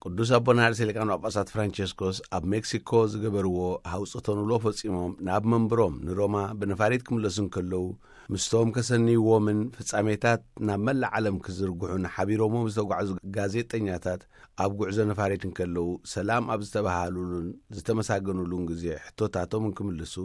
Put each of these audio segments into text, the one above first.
ቅዱስ ኣቦና ርእሰ ሊቃነ ጳጳሳት ፍራንቸስኮስ ኣብ ሜክሲኮ ዝገበርዎ ሃውጽ ተንውሎ ፈጺሞም ናብ መንበሮም ንሮማ ብነፋሪት ክምለሱ እንከለዉ፣ ምስቶም ከሰንይዎምን ፍጻሜታት ናብ መላእ ዓለም ክዝርግሑን ሓቢሮሞም ዝተጓዕዙ ጋዜጠኛታት ኣብ ጉዕዞ ነፋሪት እንከለዉ፣ ሰላም ኣብ ዝተባሃሉሉን ዝተመሳገኑሉን ግዜ ሕቶታቶም እንክምልሱ፣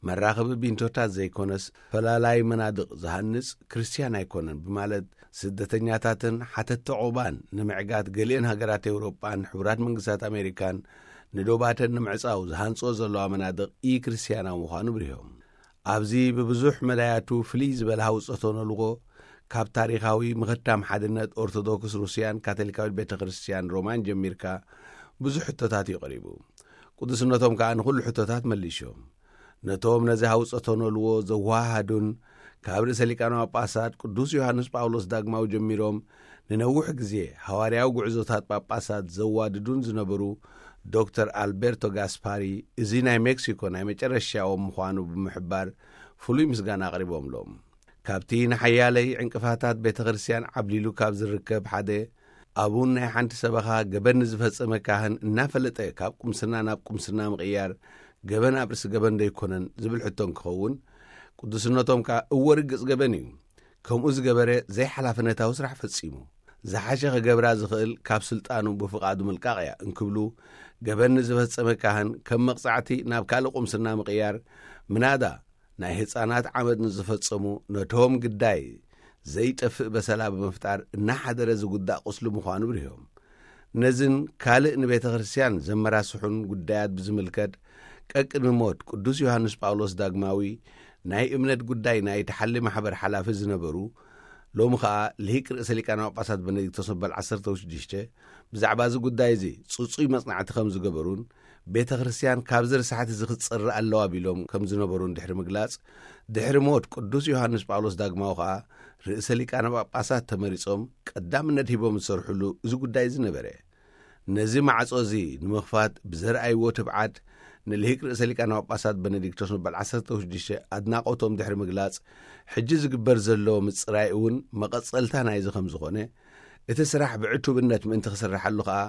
መራኸቢ ቢንቶታት ዘይኮነስ ፈላላይ መናድቕ ዝሃንጽ ክርስትያን ኣይኮነን ብማለት፣ ስደተኛታትን ሓተቲ ዑቕባን ንምዕጋት ገሊአን ሃገራት ኤውሮጳን ሕቡራት መንግስታት ኣሜሪካን ንዶባተን ንምዕጻው ዝሃንጽኦ ዘለዋ መናድቕ ኢ-ክርስትያናዊ ምዃኑ ብሪሆም። ኣብዚ ብብዙሕ መዳያቱ ፍልይ ዝበለ ሃውጾ ተነልዎ፣ ካብ ታሪኻዊ ምኽታም ሓድነት ኦርቶዶክስ ሩስያን ካቶሊካዊት ቤተ ክርስትያን ሮማን ጀሚርካ ብዙሕ ሕቶታት እዩ ቀሪቡ። ቅዱስነቶም ከኣ ንኹሉ ሕቶታት መሊሾም። ነቶም ነዚ ሃውጾ ተነልዎ ዘወሃሃዱን ካብ ርእሰ ሊቃነ ጳጳሳት ቅዱስ ዮሃንስ ጳውሎስ ዳግማዊ ጀሚሮም ንነዊሕ ግዜ ሃዋርያዊ ጉዕዞታት ጳጳሳት ዘዋድዱን ዝነበሩ ዶክተር ኣልቤርቶ ጋስፓሪ፣ እዚ ናይ ሜክሲኮ ናይ መጨረሻዎም ምዃኑ ብምሕባር ፍሉይ ምስጋና ኣቕሪቦምሎም። ካብቲ ንሓያለይ ዕንቅፋታት ቤተ ክርስትያን ዓብሊሉ ካብ ዝርከብ ሓደ፣ ኣቡን ናይ ሓንቲ ሰበኻ ገበን ንዝፈጸመ ካህን እናፈለጠ ካብ ቁምስና ናብ ቁምስና ምቕያር፣ ገበን ኣብ ርእሲ ገበን ዶ ኣይኮነን ዝብል ሕቶ እንክኸውን፣ ቅዱስነቶም ከኣ እወ ርግጽ ገበን እዩ። ከምኡ ዝገበረ ዘይሓላፍነታዊ ስራሕ ፈጺሙ። ዝሓሸ ክገብራ ዝኽእል ካብ ስልጣኑ ብፍቓዱ ምልቃቕ እያ እንክብሉ፣ ገበን ንዝፈጸመ ካህን ከም መቕጻዕቲ ናብ ካልእ ቁምስና ምቕያር፣ ምናዳ ናይ ህጻናት ዓመድ ንዝፈጸሙ ነቶም ግዳይ ዘይጠፍእ በሰላ ብምፍጣር እናሓደረ ዝጉዳእ ቁስሊ ምዃኑ ብሪሆም። ነዝን ካልእ ንቤተ ክርስትያን ዘመራስሑን ጉዳያት ብዝምልከት፣ ቀቅድሚ ሞት ቅዱስ ዮሃንስ ጳውሎስ ዳግማዊ ናይ እምነት ጉዳይ ናይ ተሓሊ ማሕበር ሓላፊ ዝነበሩ፣ ሎሚ ኸኣ ልሂቅ ርእሰ ሊቃነ ጳጳሳት በነዲክቶስ መበል ዓሰርተ ሽዱሽተ፣ ብዛዕባ እዚ ጉዳይ እዚ ጽጹይ መጽናዕቲ ከም ዝገበሩን፣ ቤተ ክርስትያን ካብዚ ርሳሕቲ እዚ ክትጸሪ ኣለዋ ቢሎም ከም ዝነበሩን ድሕሪ ምግላጽ፣ ድሕሪ ሞት ቅዱስ ዮሃንስ ጳውሎስ ዳግማዊ ኸኣ ርእሰ ሊቃነ ጳጳሳት ተመሪጾም ቀዳምነት ሂቦም ዝሰርሕሉ እዚ ጉዳይ እዚ ነበረ። ነዚ ማዕጾ እዚ ንምኽፋት ብዘርኣይዎ ትብዓት፣ ንልሂቅ ርእሰ ሊቃነ ጳጳሳት በነዲክቶስ መበል ዓሰርተ ሽዱሽተ ኣድናቖቶም ድሕሪ ምግላጽ፣ ሕጂ ዝግበር ዘሎ ምጽራይ እውን መቐጸልታ ናይዚ ከም ዝኾነ፣ እቲ ስራሕ ብዕቱብነት ምእንቲ ክስርሓሉ ከኣ፣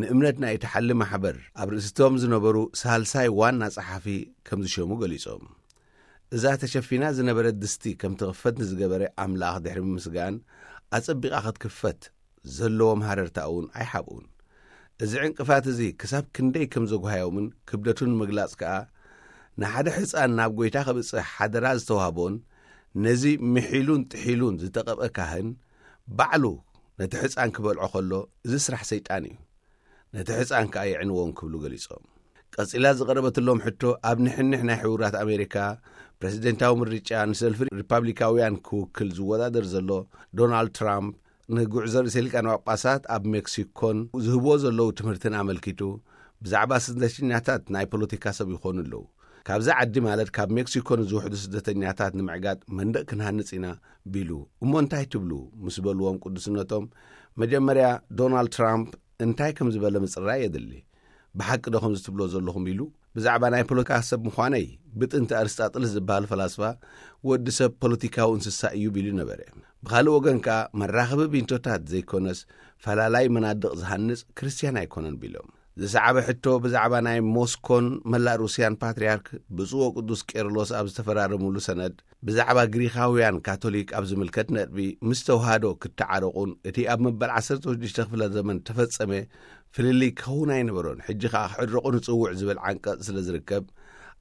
ንእምነት ናይ ተሓሊ ማሕበር ኣብ ርእሲቶም ዝነበሩ ሳልሳይ ዋና ጸሓፊ ከም ዝሸሙ ገሊጾም። እዛ ተሸፊና ዝነበረት ድስቲ ከም ትኽፈት ንዝገበረ ኣምላኽ ድሕሪ ምምስጋን፣ ኣጸቢቓ ክትክፈት ዘለዎም ሃረርታ እውን ኣይሓብኡን። እዚ ዕንቅፋት እዚ ክሳብ ክንደይ ከም ዘጓሃዮምን ክብደቱን ንምግላጽ ከኣ፣ ንሓደ ሕጻን ናብ ጐይታ ከብጽሕ ሓደራ ዝተዋህቦን፣ ነዚ ምሒሉን ጥሒሉን ዝተቐብአ ካህን፣ ባዕሉ ነቲ ሕጻን ክበልዖ ከሎ፣ እዚ ስራሕ ሰይጣን እዩ። ነቲ ሕጻን ከኣ የዕንዎ እንክብሉ ገሊጾም። ቀጺላ ዝቐረበትሎም ሕቶ፣ ኣብ ንሕንሕ ናይ ሕቡራት ኣሜሪካ ፕረዚደንታዊ ምርጫ ንሰልፊ ሪፓብሊካውያን ክውክል ዝወዳደር ዘሎ ዶናልድ ትራምፕ፣ ንጉዕዞ ርእሰ ሊቃነ ጳጳሳት ኣብ ሜክሲኮን ዝህብዎ ዘለዉ ትምህርትን ኣመልኪቱ፣ ብዛዕባ ስደተኛታት ናይ ፖለቲካ ሰብ ይኾኑ ኣለዉ። ካብዚ ዓዲ፣ ማለት ካብ ሜክሲኮ ንዝውሕዱ ስደተኛታት ንምዕጋት መንደቕ ክንሃንጽ ኢና ቢሉ፣ እሞ እንታይ ትብሉ? ምስ በልዎም ቅዱስነቶም፣ መጀመርያ ዶናልድ ትራምፕ እንታይ ከም ዝበለ ምጽራይ የድሊ። ብሓቂ ዶ ከምዚ ትብሎ ዘለኹም ኢሉ፣ ብዛዕባ ናይ ፖለቲካ ሰብ ምዃነይ ብጥንቲ ኣርስጣጥልስ ዝበሃል ፈላስፋ፣ ወዲ ሰብ ፖለቲካዊ እንስሳ እዩ ቢሉ ነበረ። ብኻልእ ወገን ከኣ፣ መራኸቢ ቢንቶታት ዘይኮነስ፣ ፈላላይ መናድቕ ዝሃንጽ ክርስትያን ኣይኮነን ቢሎም። ዝሰዓበ ሕቶ ብዛዕባ ናይ ሞስኮን መላእ ሩስያን ፓትርያርክ ብፁዕ ወቅዱስ ቄርሎስ ኣብ ዝተፈራረሙሉ ሰነድ፣ ብዛዕባ ግሪኻውያን ካቶሊክ ኣብ ዝምልከት ነጥቢ ምስ ተዋህዶ ክተዓረቑን እቲ ኣብ መበል ዓሰርተ ሽዱሽተ ክፍለ ዘመን ተፈጸመ ፍልልይ ክኸውን ኣይነበሮን፣ ሕጂ ከኣ ክዕረቑ ንጽውዕ ዝብል ዓንቀጽ ስለ ዝርከብ፣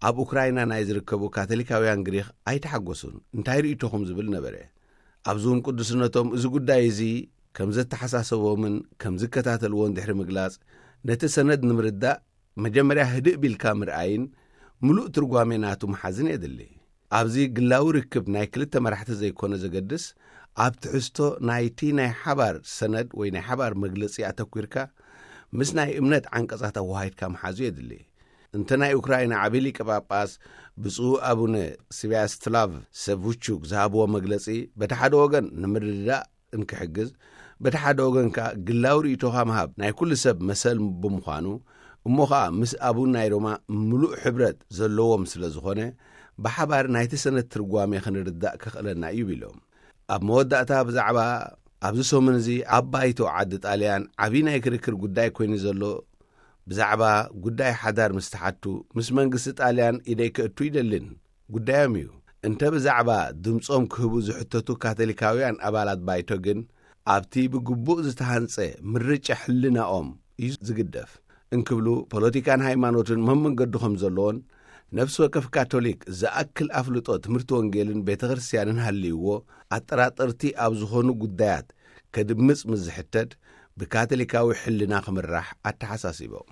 ኣብ ኡክራይና ናይ ዝርከቡ ካቶሊካውያን ግሪኽ ኣይተሓጎሱን። እንታይ ርእይቶኹም ዝብል ነበረ። ኣብዚ እውን ቅዱስነቶም እዚ ጉዳይ እዚ ከም ዘተሓሳሰቦምን ከም ዝከታተልዎን ድሕሪ ምግላጽ፣ ነቲ ሰነድ ንምርዳእ መጀመርያ ህድእ ቢልካ ምርኣይን ምሉእ ትርጓሜ ናቱ ምሓዝን የድሊ። ኣብዚ ግላዊ ርክብ ናይ ክልተ መራሕቲ ዘይኮነ ዘገድስ፣ ኣብ ትሕዝቶ ናይቲ ናይ ሓባር ሰነድ ወይ ናይ ሓባር መግለጺ ኣተኲርካ ምስ ናይ እምነት ዓንቀጻት ኣወሃሂድካ ምሓዙ የድሊ። እንተ ናይ ኡክራይና ዓቢ ሊቀ ጳጳስ ብፁዕ ኣቡነ ስቪያስላቭ ሰቭቹክ ዝሃብዎ መግለጺ፣ በቲ ሓደ ወገን ንምርድዳእ እንክሕግዝ፣ በቲ ሓደ ወገን ከኣ ግላዊ ርእይቶኻ ምሃብ ናይ ኩሉ ሰብ መሰል ብምዃኑ፣ እሞ ኸኣ ምስ ኣቡን ናይ ሮማ ምሉእ ሕብረት ዘለዎም ስለ ዝኾነ፣ ብሓባር ናይቲ ሰነድ ትርጓሜ ክንርዳእ ከኽእለና እዩ ቢሎም። ኣብ መወዳእታ ብዛዕባ ኣብዚ ሰሙን እዚ ኣብ ባይቶ ዓዲ ጣልያን ዓብዪ ናይ ክርክር ጉዳይ ኮይኑ ዘሎ፣ ብዛዕባ ጉዳይ ሓዳር ምስ ተሓቱ፣ ምስ መንግስቲ ጣልያን ኢደይ ከእቱ ይደልን፣ ጉዳዮም እዩ። እንተ ብዛዕባ ድምጾም ክህቡ ዝሕተቱ ካቶሊካውያን ኣባላት ባይቶ ግን፣ ኣብቲ ብግቡእ ዝተሃንጸ ምርጫ ሕልናኦም እዩ ዝግደፍ እንክብሉ፣ ፖለቲካን ሃይማኖትን መመንገዲ ከም ዘለዎን፣ ነፍሲ ወከፍ ካቶሊክ ዝኣክል ኣፍልጦ ትምህርቲ ወንጌልን ቤተ ክርስቲያንን ሃልይዎ፣ ኣጠራጠርቲ ኣብ ዝኾኑ ጉዳያት ከድምጽ ምስ ዝሕተት፣ ብካቶሊካዊ ሕልና ክምራሕ ኣተሓሳሲቦም።